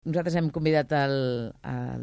Nosaltres hem convidat el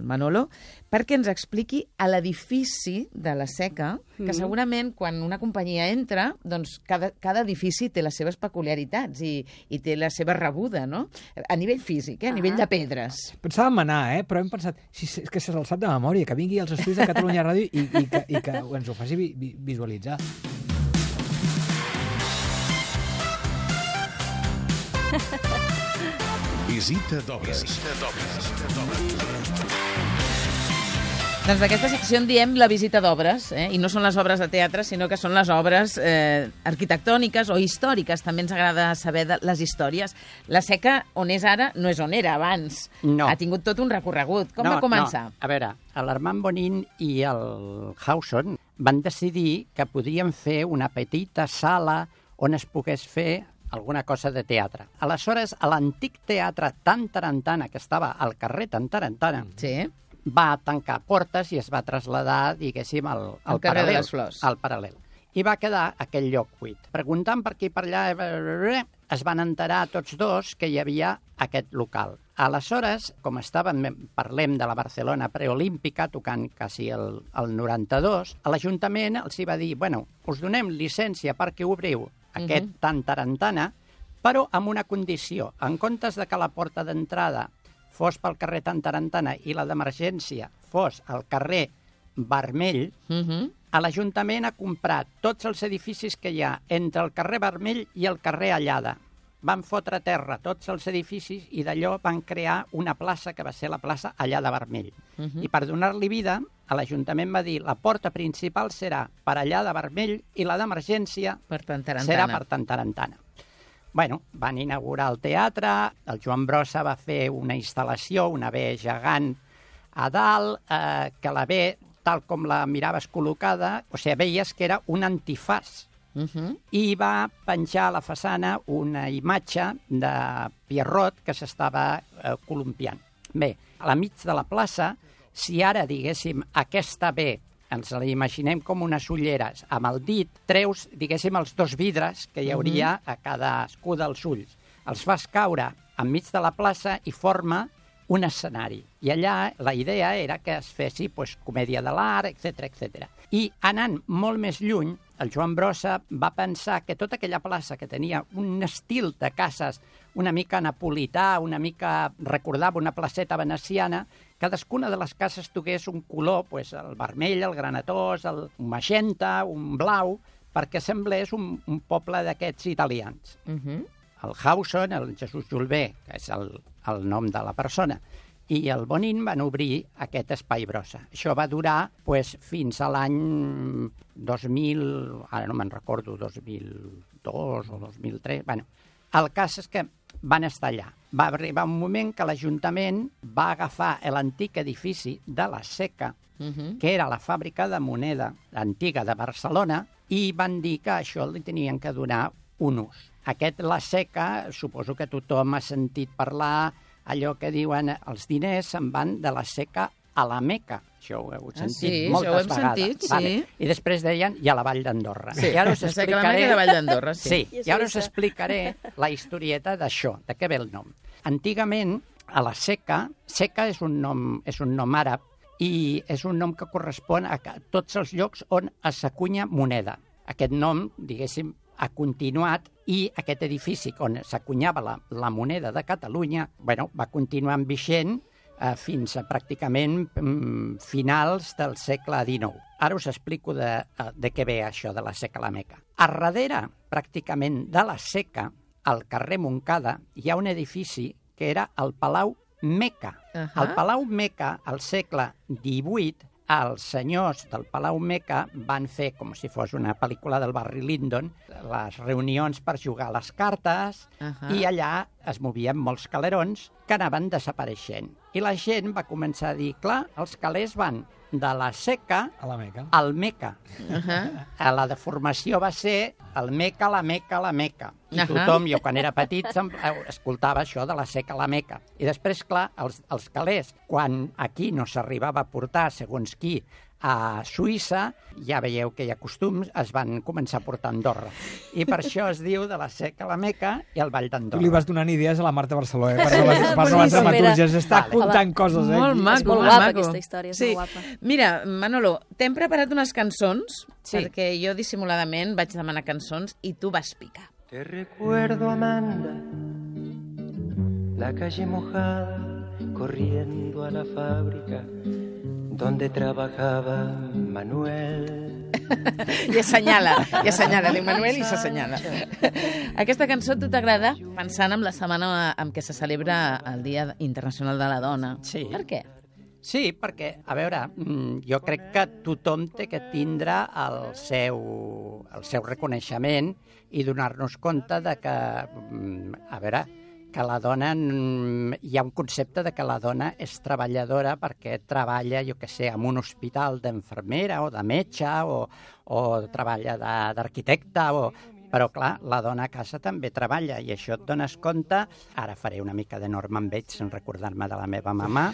Manolo perquè ens expliqui a l'edifici de la Seca, que segurament quan una companyia entra, doncs cada edifici té les seves peculiaritats i té la seva rebuda, no? A nivell físic, a nivell de pedres. Pensàvem anar, però hem pensat, és que se se'l sap de memòria, que vingui als estudis de Catalunya Ràdio i que ens ho faci visualitzar. Visita d'obres. Doncs d'aquesta secció en diem la visita d'obres, i no són les obres de teatre, sinó que són les obres arquitectòniques o històriques. També ens agrada saber de les històries. La Seca, on és ara, no és on era abans. No. Ha tingut tot un recorregut. Com va començar? No. A veure, l'Armand Bonin i el Hauson van decidir que podrien fer una petita sala on es pogués fer alguna cosa de teatre. Aleshores, l'antic teatre Tantarantana, que estava al carrer Tantarantana, va tancar portes i es va traslladar, diguéssim, al carrer de les Flors. Al paral·lel. I va quedar aquell lloc buit. Preguntant per aquí i per allà, es van enterar tots dos que hi havia aquest local. Aleshores, com parlem de la Barcelona preolímpica, tocant quasi el 92, l'Ajuntament els va dir, bueno, us donem llicència perquè obriu aquest Tantarantana, però amb una condició. En comptes de que la porta d'entrada fos pel carrer Tantarantana i la d'emergència fos al carrer Vermell, l'Ajuntament ha comprat tots els edificis que hi ha entre el carrer Vermell i el carrer Allada. Van fotre a terra tots els edificis i d'allò van crear una plaça que va ser la plaça Allada Vermell. I per donar-li vida, l'Ajuntament va dir la porta principal serà per Allada Vermell i la d'emergència serà per Tantarantana. Bueno, van inaugurar el teatre, el Joan Brossa va fer una instal·lació, una B gegant a dalt, que la B, tal com la miraves col·locada, o sigui, veies que era un antifàs. I va penjar a la façana una imatge de Pierrot que s'estava columpiant. Bé, a la mig de la plaça, si ara, diguéssim, aquesta B ens la imaginem com unes ulleres, amb el dit treus, diguéssim, els dos vidres que hi hauria a cadascú dels ulls. Els fas caure enmig de la plaça i forma un escenari. I allà la idea era que es fessi comèdia de l'art, etc. I anant molt més lluny, el Joan Brossa va pensar que tota aquella plaça que tenia un estil de cases una mica napolità, una mica recordava una placeta veneciana, cadascuna de les cases tingués un color, el vermell, el granatós, el magenta, un blau, perquè semblés un poble d'aquests italians. El Hauson, el Jesús Julbé, que és el nom de la persona, i el Bonin van obrir aquest Espai Brossa. Això va durar fins a l'any 2000, ara no me'n recordo, 2002 o 2003. Bueno, el cas és que van estar allà. Va arribar un moment que l'Ajuntament va agafar l'antic edifici de la Seca, que era la fàbrica de moneda antiga de Barcelona, i van dir que això li tenien que donar un ús. La Seca, suposo que tothom ha sentit parlar allò que diuen els diners se'n van de la Seca a la Meca. Això ho heu sentit moltes vegades. Sí. I després deien i a la Vall d'Andorra. Sí, la Seca a la Meca i la Vall d'Andorra, sí. I ara us explicaré la historieta d'això, de què ve el nom. Antigament, a la Seca és un nom àrab i és un nom que correspon a tots els llocs on s'acunya moneda. Aquest nom, diguéssim, ha continuat i aquest edifici on s'acunyava la moneda de Catalunya va continuar vigent fins a pràcticament finals del segle XIX. Ara us explico de què ve això de la Seca a la Meca. A darrere, pràcticament, de la Seca, al carrer Montcada, hi ha un edifici que era el Palau Meca. El Palau Meca, al segle XVIII, els senyors del Palau Meca van fer, com si fos una pel·lícula del Barry Lyndon, les reunions per jugar a les cartes i allà es movien molts calerons que anaven desapareixent. I la gent va començar a dir, clar, els calés van de la Seca al Meca. La deformació va ser el Meca, la Meca, la Meca. I tothom, jo quan era petit, escoltava això de la Seca a la Meca. I després, clar, els calés, quan aquí no s'arribava a portar, segons qui, a Suïssa, ja veieu que hi ha costums, es van començar a portar a Andorra. I per això es diu de la Seca a la Meca i el Ball Tu li d'Andorra. vas donant idees a la Marta Barceló, per les dramatúrgies. Està apuntant coses, Molt maco, És molt molt guapa maco. aquesta història, és molt guapa. Mira, Manolo, t'hem preparat unes cançons, Sí. perquè jo dissimuladament vaig demanar cançons i tu vas picar. Te recuerdo, Amanda, la calle mojada, corriendo a la fábrica donde trabajaba Manuel. I assenyala, diu Manuel i s'assenyala. Aquesta cançó a tu t'agrada pensant en la setmana en què se celebra el Dia Internacional de la Dona. Sí. Per què? Sí, perquè, a veure, jo crec que tothom té que tindre el seu reconeixement i donar-nos compte de que, a veure, que la dona, hi ha un concepte de que la dona és treballadora perquè treballa, jo què sé, en un hospital d'infermera o de metge o treballa d'arquitecte però, clar, la dona a casa també treballa i això et dones compte. Ara faré una mica de Norman Bates en recordar-me de la meva mamà.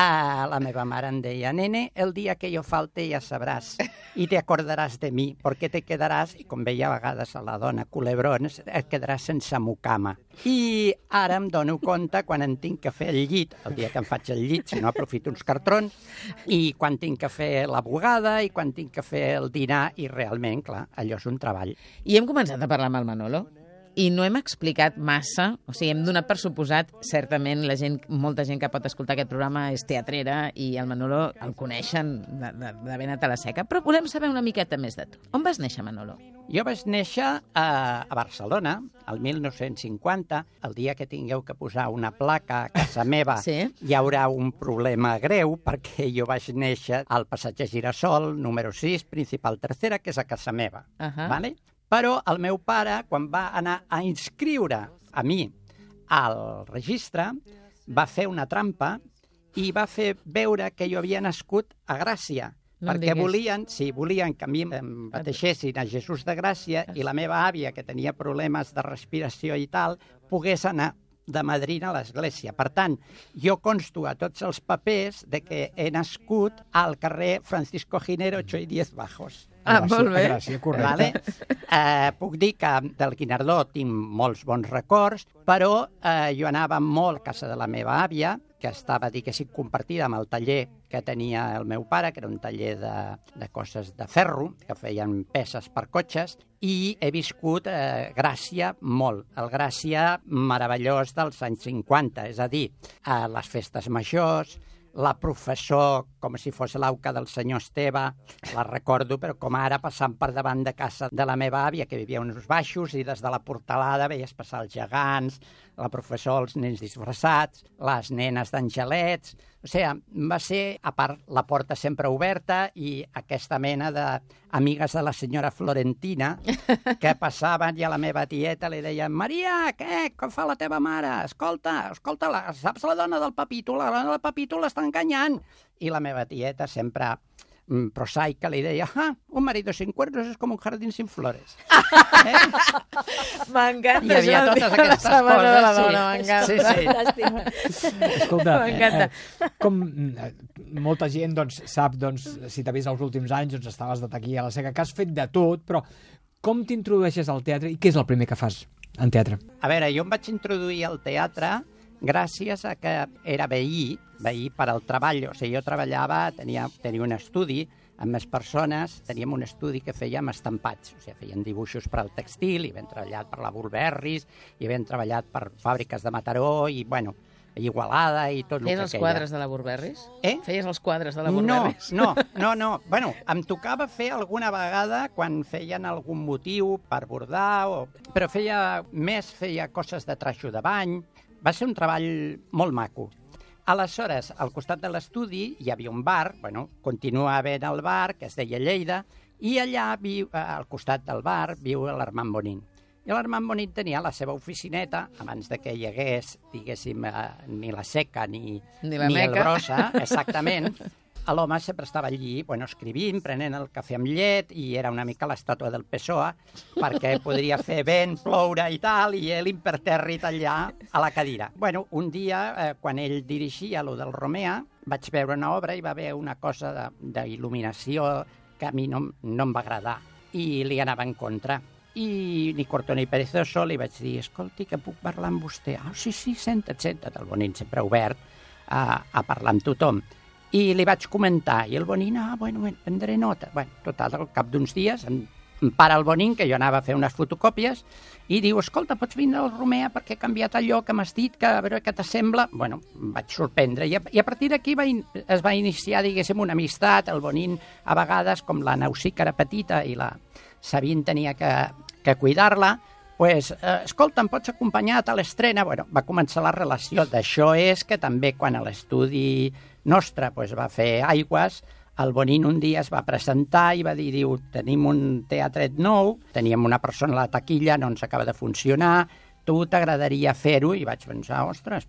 La meva mare em deia, nene, el dia que jo falte ja sabràs i te acordaràs de mi, perquè te quedaràs, i com veia a vegades a la dona culebrons, et quedaràs sense mucama. I ara em dono compte quan en tinc que fer el llit, el dia que em faig el llit, si no aprofito uns cartrons, i quan tinc que fer la bugada i quan tinc que fer el dinar, i realment, clar, allò és un treball. I hem començat a parlar amb el Manolo i no hem explicat massa, o sigui, hem donat per suposat, certament, molta gent que pot escoltar aquest programa és teatrera i el Manolo el coneixen d'haver anat a la Seca, però volem saber una miqueta més de tu. On vas néixer, Manolo? Jo vaig néixer a Barcelona, el 1950. El dia que tingueu que posar una placa a casa meva Sí. hi haurà un problema greu, perquè jo vaig néixer al passatge Girasol, número 6, principal tercera, que és a casa meva. Vale? Però el meu pare, quan va anar a inscriure a mi al registre, va fer una trampa i va fer veure que jo havia nascut a Gràcia. No em perquè diguis. volien que a mi em bateixessin a Jesús de Gràcia i la meva àvia, que tenia problemes de respiració i tal, pogués anar de madrina a l'església. Per tant, jo consto a tots els papers de que he nascut al carrer Francisco Giner 8 i 10 Bajos. Molt bé. Gràcia, correcte. Vale? Puc dir que del Guinardó tinc molts bons records, però jo anava molt a casa de la meva àvia, que estava, diguéssim, compartida amb el taller que tenia el meu pare, que era un taller de coses de ferro, que feien peces per cotxes, i he viscut Gràcia molt. El Gràcia meravellós dels anys 50, és a dir, les festes majors, la professor, com si fos l'auca del senyor Esteve, la recordo, però com ara passant per davant de casa de la meva àvia, que vivia uns baixos, i des de la portalada veies passar els gegants, la professor, els nens disfressats, les nenes d'angelets. O sigui, va ser, a part, la porta sempre oberta i aquesta mena d'amigues de la senyora Florentina que passaven i a la meva tieta li deien Maria, què? Com fa la teva mare? Escolta, saps la dona del Papito? La dona del Papito l'està enganyant. I la meva tieta sempre prosaica li deia un marido sin cuernos es como un jardín sin flores. M'encanta. Hi havia totes aquestes coses. De la dona, m'encanta. Sí. Escolta, M'encanta. Com molta gent sap, si t'ha vist els últims anys, estaves de taquí a la Seca, que has fet de tot, però com t'introdueixes al teatre i què és el primer que fas en teatre? A veure, jo em vaig introduir al teatre gràcies a que era veí per al treball. O sigui, jo treballava, tenia un estudi amb més persones, teníem un estudi que fèiem estampats, o sigui, feien dibuixos per al textil, i ben treballat per la Burberris, i ben treballat per fàbriques de Mataró, i, bueno, Igualada i tot el que Feies els quadres de la Burberris? Feies els quadres de la Burberris? No. Bueno, em tocava fer alguna vegada quan feien algun motiu per bordar, però feia coses de traixo de bany. Va ser un treball molt maco. Aleshores, al costat de l'estudi hi havia un bar, continua havent el bar, que es deia Lleida, i allà, al costat del bar, viu l'Armand Bonin. I l'Armand Bonin tenia la seva oficineta, abans de que hi hagués, diguéssim, ni la Seca ni la el Meca. Brossa, exactament, l'home sempre estava allí, escrivint, prenent el cafè amb llet, i era una mica l'estàtua del PSOE, perquè podria fer vent, ploure i tal, i ell impertèrrit allà a la cadira. Un dia, quan ell dirigia lo del Romea, vaig veure una obra i va haver una cosa d'il·luminació que a mi no em va agradar, i li anava en contra. I ni corto ni perezoso li vaig dir, escolti, que puc parlar amb vostè? Sí, senta't, el Bonín sempre obert a parlar amb tothom. I li vaig comentar, i el Bonín, prendré nota. Total, al cap d'uns dies em para el Bonín, que jo anava a fer unes fotocòpies, i diu, escolta, pots vindre al Romea perquè he canviat allò que m'has dit, que a veure què t'assembla. Em vaig sorprendre, i a partir d'aquí es va iniciar, diguéssim, una amistat. El Bonín, a vegades, com la Nausic era petita i la Sabine tenia que cuidar-la, escolta, em pots acompanyar a l'estrena? Va començar la relació. D'això és que també quan a l'estudi nostre va fer Aigües, el Bonín un dia es va presentar i va dir, tenim un teatret nou, teníem una persona a la taquilla, no ens acaba de funcionar, tu t'agradaria fer-ho? I vaig pensar, ostres,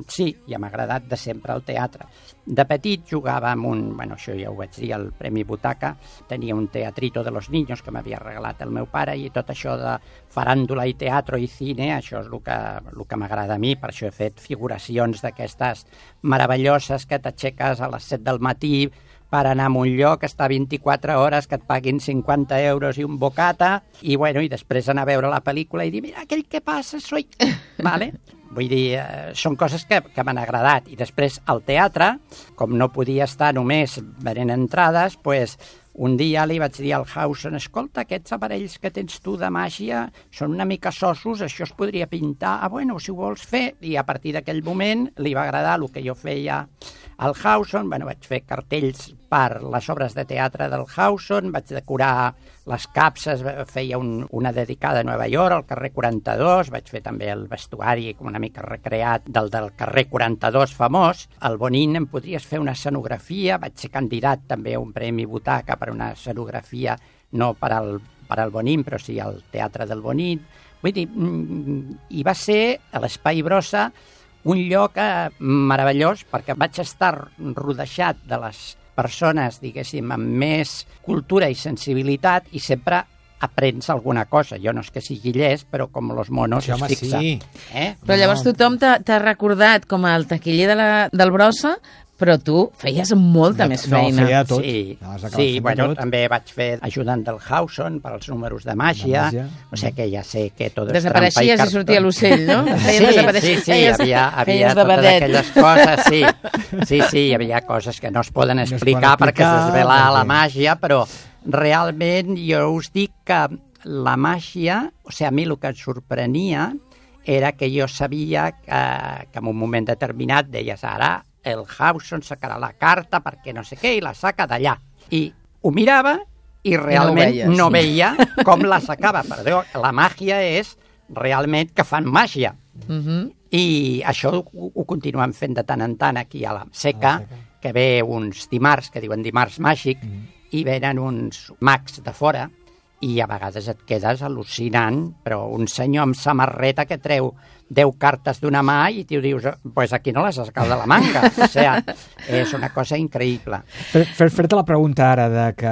sí, ja m'ha agradat de sempre el teatre. De petit jugava amb això ja ho vaig dir, el Premi Butaca, tenia un teatrito de los niños que m'havia regalat el meu pare, i tot això de faràndula i teatre i cine, això és el que m'agrada a mi, per això he fet figuracions d'aquestes meravelloses que t'aixeques a les 7 del matí per anar a un lloc, estar 24 hores, que et paguin 50 euros i un bocata, i després anar a veure la pel·lícula i dir, mira, aquell que passa soy... Vale? Vull dir, són coses que m'han agradat. I després, al teatre, com no podia estar només venent entrades, un dia li vaig dir al Hausen, escolta, aquests aparells que tens tu de màgia són una mica sossos, això es podria pintar. Si ho vols fer. I a partir d'aquell moment li va agradar el que jo feia al Hausen. Vaig fer cartells per les obres de teatre del Hausen, vaig decorar les capses, feia una dedicada a Nova York, al carrer 42, vaig fer també el vestuari una mica recreat del carrer 42 famós. Al Bonín em podries fer una escenografia, vaig ser candidat també a un Premi Butaca per una escenografia, no per al Bonín, però sí al Teatre del Bonín. Vull dir, i va ser a l'Espai Brossa un lloc meravellós, perquè vaig estar rodejat de les persones, diguéssim, amb més cultura i sensibilitat, i sempre aprens alguna cosa. Jo no és que sigui llest, però com los monos es fixa. Sí. Però llavors tothom t'ha recordat com el taquiller del Brossa, però tu feies molta més feina. No, feia tot. Sí, també vaig fer ajudant del Hausen per als números de màgia, o sigui que ja sé que tot és trampa i cartó. Desapareixies i sortia l'ocell, no? Sí, hi havia totes aquelles coses, sí, hi havia coses que no es poden explicar perquè es desvela la màgia, però realment jo us dic que la màgia, o sigui, a mi el que em sorprenia era que jo sabia que en un moment determinat deies, ara el Hausen sacarà la carta perquè no sé què i la saca d'allà. I ho mirava i realment no veia com la sacava. Perdó, la màgia és realment que fan màgia. I això ho continuem fent de tant en tant aquí a la Seca, que ve uns dimarts, que diuen dimarts màgic, i venen uns mags de fora, i a vegades et quedes al·lucinant, però un senyor amb samarreta que treu 10 cartes d'una mà i tu dius, aquí no les has sacat de la manga. O sigui, és una cosa increïble. Fer-te la pregunta ara de que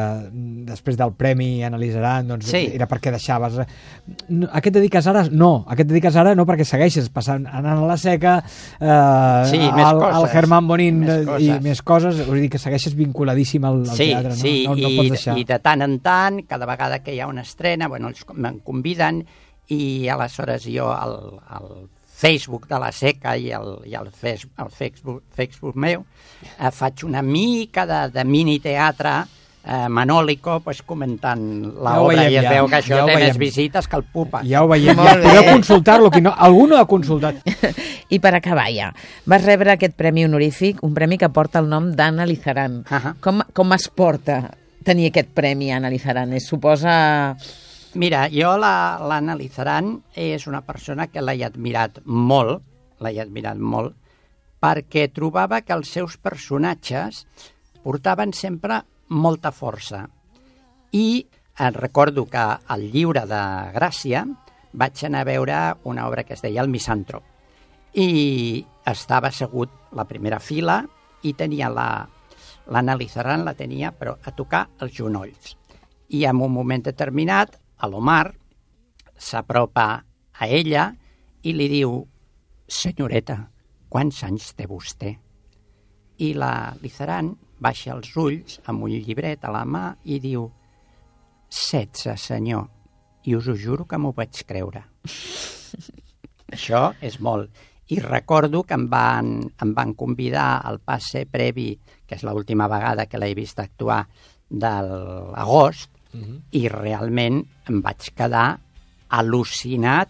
després del premi analitzaran, doncs era perquè deixaves... A què et dediques ara? No, a què et dediques ara no, perquè segueixes anant a la Seca, al Germán Bonín i més coses, vull dir que segueixes vinculadíssim al teatre, no pots deixar. I de tant en tant, cada vegada que hi ha una estrena, ells me'n conviden, i aleshores jo al Facebook de la Seca i al Facebook meu faig una mica de mini-teatre manòlico, comentant l'obra, i es veu que això té més visites que el Pupa. Ja ho veiem, podeu consultar-lo, algú no ha consultat. I per acabar ja, vas rebre aquest premi honorífic, un premi que porta el nom d'Anna Lizaran. Com es porta tenir aquest premi, Anna Lizaran? Suposa... Mira, jo l'Anna Lizaran és una persona que l'he admirat molt, perquè trobava que els seus personatges portaven sempre molta força. I recordo que al Lliure de Gràcia vaig anar a veure una obra que es deia El Misàntrop. I estava assegut a la primera fila i tenia l'Anna Lizaran la tenia, però a tocar els genolls. I en un moment determinat, a l'Omar s'apropa a ella i li diu: senyoreta, quants anys té vostè? I la Lizaran baixa els ulls amb un llibret a la mà i diu: 16, senyor, i us ho juro que m'ho vaig creure. Això és molt. I recordo que em van convidar al passe previ, que és l'última vegada que l'he vist actuar, de l'agost, i realment em vaig quedar al·lucinat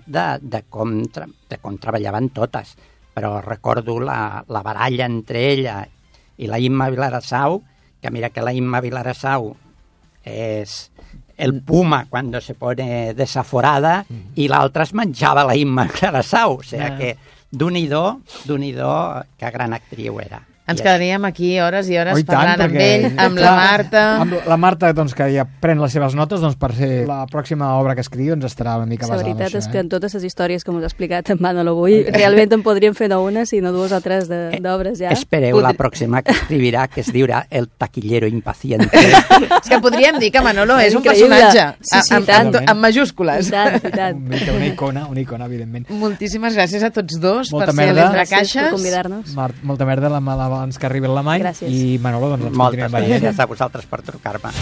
de com treballaven totes. Però recordo la baralla entre ella i la Imma Vilarassau, que mira que la Imma Vilarassau és el puma cuando se pone desaforada i l'altra es menjava la Imma Vilarassau. O sigui que d'un-i-do, que gran actriu era. Ens quedaríem aquí hores i hores parlant amb ell, amb la Marta. Amb la Marta, doncs, que ja pren les seves notes, doncs, per ser la pròxima obra que escriu ens estarà una mica basada. La veritat és que en totes les històries que m'ho has explicat en Manolo avui, realment en podríem fer no una, sinó dues o tres d'obres ja. Espereu la pròxima que escrivirà, que es dirà El taquillero impaciente. És que podríem dir que Manolo és un personatge, amb majúscules. I tant. Una icona, evidentment. Moltíssimes gràcies a tots dos per ser l'Entrecaixes. Gràcies per convidar-nos. Molta merda abans que arribi la Mai. Gràcies. I Manolo, doncs ens continuem veient. Moltes gràcies a vosaltres per trucar-me.